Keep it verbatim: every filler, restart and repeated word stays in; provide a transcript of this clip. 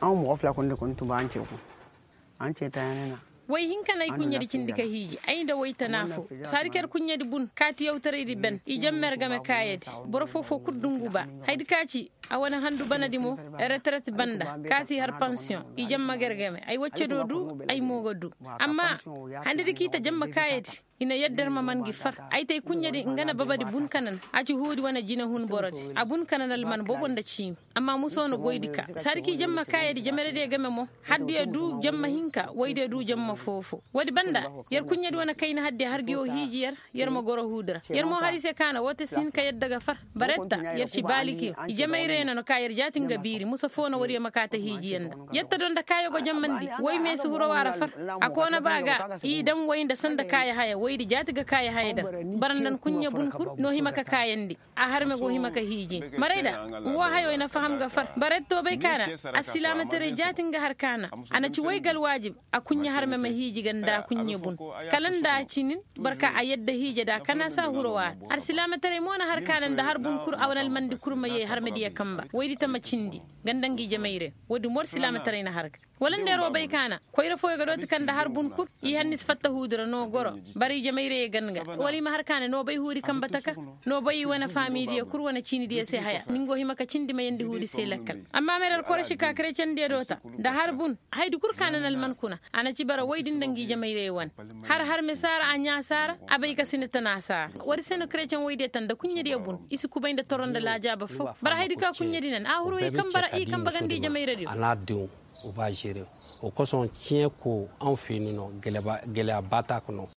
Aw moxo fila kunde kun tuba an ce ku an ce ta yanina. Way hinka na ay kuɲɲedi cindi ka hiiji ay nda way tana fo. Saadi ka yer kuɲɲedi bun kaati yawtaraydi ben i jamma yer game kaayadi. Boro foo-foo kul dungu ba haydi ka ci a wane handu banadi mo. Reteret banda kaati har pansiyoŋ i jamma ga yer game ay wacce do du. Ay mo ga du amma handadi ka i ta jamma kaayadi. I na yadda yer ma man gi far ay ta ay kuɲɲedi nga na babadi bun kanan a ci huudi wane jinehun borodi a bun kanan alman boobo nda ciimi. Amma muso na goydi ka sarki jamma kaayadi jamerediyo game mo. Haddiyo du jamma hinka waydiyo du jamma foo-foo woodi banda. Yer kuɲɲedi wane kayna haddiyo har ngi woo hiiji yer. Yer ma goro huudi ra yer mo har i se ka na woo te si hin ka yadda ga far. Baretta yer ci baalikiyo i jamayreyo na no ka yer jaati nga biiri musa foo na woodiyo ma kaa ta hiijiyo nda. Yetta do nda kaayo go jammandi woy meesi hurowa ra far. A koona ba ga i dam woy nda sanda kaaya haya woydi jaati ga kaaya haya dan. Bara nda ni kuɲɲe bun kul no hima ka kaayandi. A harme go hima ka hiiji maray da. Nga woo hayo i na faham ga far baretto bay ka na. Alsilaamataray jaati nga har ka na a na ci woy ga alwaajib. A kuɲɲe harme ma hiiji ga nda a kuɲɲe bun kala nda a cinin. Barka a yadda hiije da kana sa hurowa. Alsilaamataray mo na har ka na nda har bun kul a wane almandi kul ma yee harmediyo kamba woydi ta ma cindi. Ga nda ngi jamayre woodi mo alsilaamataray na har ga wala nda yer wo bay ka na koyra fooyo ga dooti ka nda har bun kul. I hanni si fatta huudi ra no goro. Bara i jamayreyo gan ga wala i ma har ka na no bay huudi kamba taka. No bay i wane faamidiyo kul wane ciinidiyo se haya ni nga wo hima ka cindi ma yandi huudi se lakkal. Amma mere alkoroši ka kerecendiyo doota nda har bun. Haydi kul ka na na alman kuna a na ci bara woydi nda ngi jamayreyo wane. Har har mesaara a ɲaasaara a bay ka sina tanasaara woodi se no kereceŋ woydiyo ta nda kuɲɲediyo bun i si kubay nda toro nda laajaaba foo. Bara haydi ka kuɲɲedi nan a huru i kamba ra i kamba ganda i jamayrediyo. A n'a diŋ o b'a zeere. O kosoŋ ciɲe ko aŋ feeni no. Gele a baataaka no.